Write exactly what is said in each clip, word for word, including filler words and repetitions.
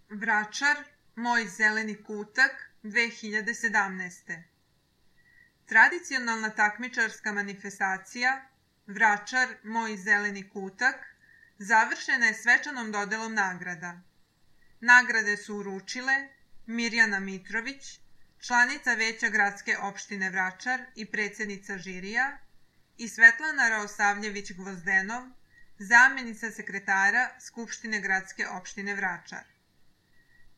Vračar, moj zeleni kutak dve hiljade sedamnaeste. Tradicionalna takmičarska manifestacija Vračar, moj zeleni kutak završena je svečanom dodelom nagrada. Nagrade su uručile Mirjana Mitrović, članica Veća gradske opštine Vračar i predsjednica žirija, i Svetlana Raosavljević-Gvozdenov, zamjenica sekretara Skupštine gradske opštine Vračar.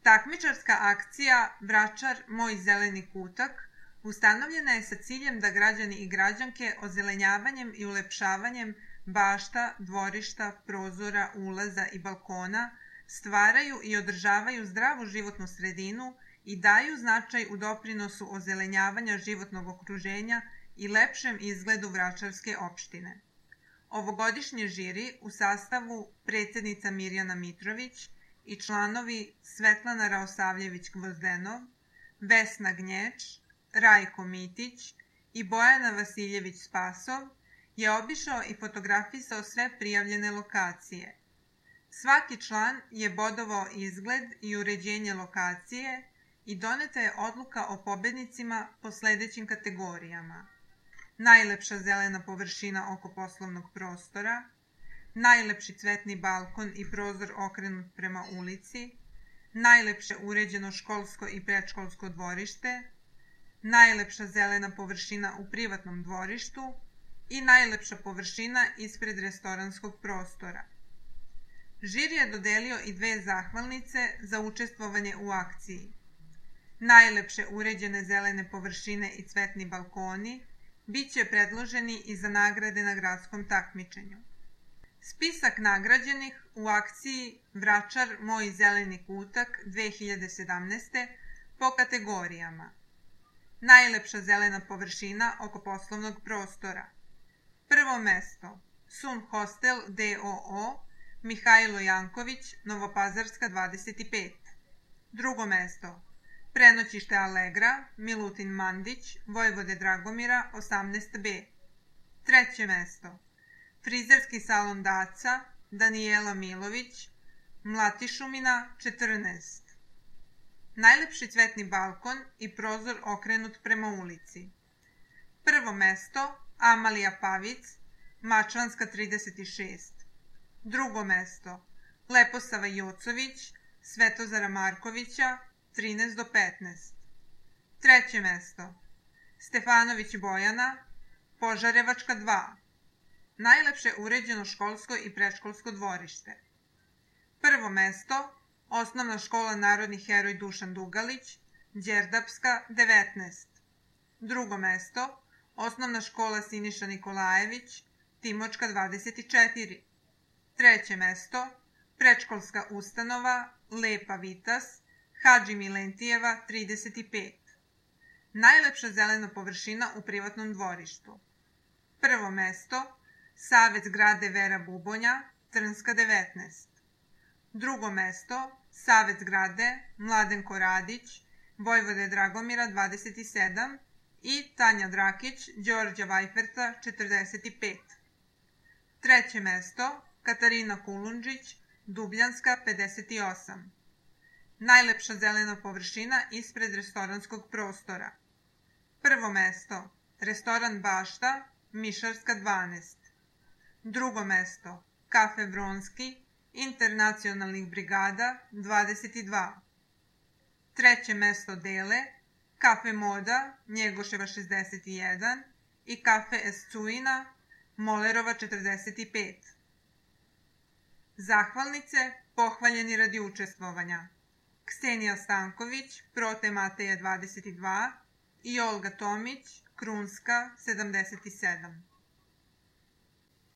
Takmičarska akcija Vračar, moj zeleni kutak ustanovljena je sa ciljem da građani i građanke ozelenjavanjem i ulepšavanjem bašta, dvorišta, prozora, ulaza i balkona stvaraju i održavaju zdravu životnu sredinu i daju značaj u doprinosu ozelenjavanja životnog okruženja i lepšem izgledu Vračarske opštine. Ovogodišnji žiri u sastavu predsjednica Mirjana Mitrović i članovi Svetlana Raosavljević-Gvozdenov, Vesna Gnječ, Rajko Mitić i Bojana Vasiljević-Spasov je obišao i fotografisao sve prijavljene lokacije. Svaki član je bodovao izgled i uređenje lokacije i doneta je odluka o pobednicima po sledećim kategorijama: najlepša zelena površina oko poslovnog prostora, najlepši cvetni balkon i prozor okrenut prema ulici, najlepše uređeno školsko i predškolsko dvorište, najlepša zelena površina u privatnom dvorištu i najlepša površina ispred restoranskog prostora. Žiri je dodelio i dve zahvalnice za učestvovanje u akciji. Najlepše uređene zelene površine i cvetni balkoni biće predloženi i za nagrade na gradskom takmičenju. Spisak nagrađenih u akciji Vračar, moj zeleni kutak dve hiljade sedamnaeste po kategorijama: najlepša zelena površina oko poslovnog prostora. Prvo mesto Sun Hostel d o o Mihajlo Janković, Novopazarska dvadeset pet. Drugo mesto Prenoćište Allegra, Milutin Mandić, Vojvode Dragomira osamnaest b. Treće mesto Frizerski salon Daca, Danijela Milović, Mlatišumina četrnaest. Najlepši cvetni balkon i prozor okrenut prema ulici. Prvo mesto Amalija Pavic, Mačvanska trideset šest. Drugo mesto Leposava Jocović, Svetozara Markovića, trinaest do petnaest. Treće mesto Stefanović Bojana, Požarevačka dva. Najlepše uređeno školsko i predškolsko dvorište. Prvo mesto Osnovna škola Narodni heroj Dušan Dugalić, Đerdapska devetnaest. Drugo mesto Osnovna škola Siniša Nikolajević, Timočka dvadeset četiri. Treće mesto Predškolska ustanova Lepa Vitas, Hadži Milentijeva trideset pet. Najlepša zelena površina u privatnom dvorištu. Prvo mesto Savet zgrade Vera Bubonja, Trnska devetnaest. Drugo mesto Savet zgrade Mladenko Radić, Vojvode Dragomira dvadeset sedam i Tanja Drakić, Đorđa Vajferta četrdeset pet. Treće mesto Katarina Kulundžić, Dubljanska pedeset osam. Najlepša zelena površina ispred restoranskog prostora. Prvo mesto Restoran Bašta, Mišarska dvanaest. Drugo mesto Kafe Bronski, Internacionalnih brigada dvadeset dva. Treće mesto dele Kafe Moda, Njegoševa šezdeset jedan i Kafe Escuina, Molerova četrdeset pet. Zahvalnice pohvaljeni radi učestvovanja: Ksenija Stanković, Prote Mateja dvadeset dva i Olga Tomić, Krunska sedamdeset sedam.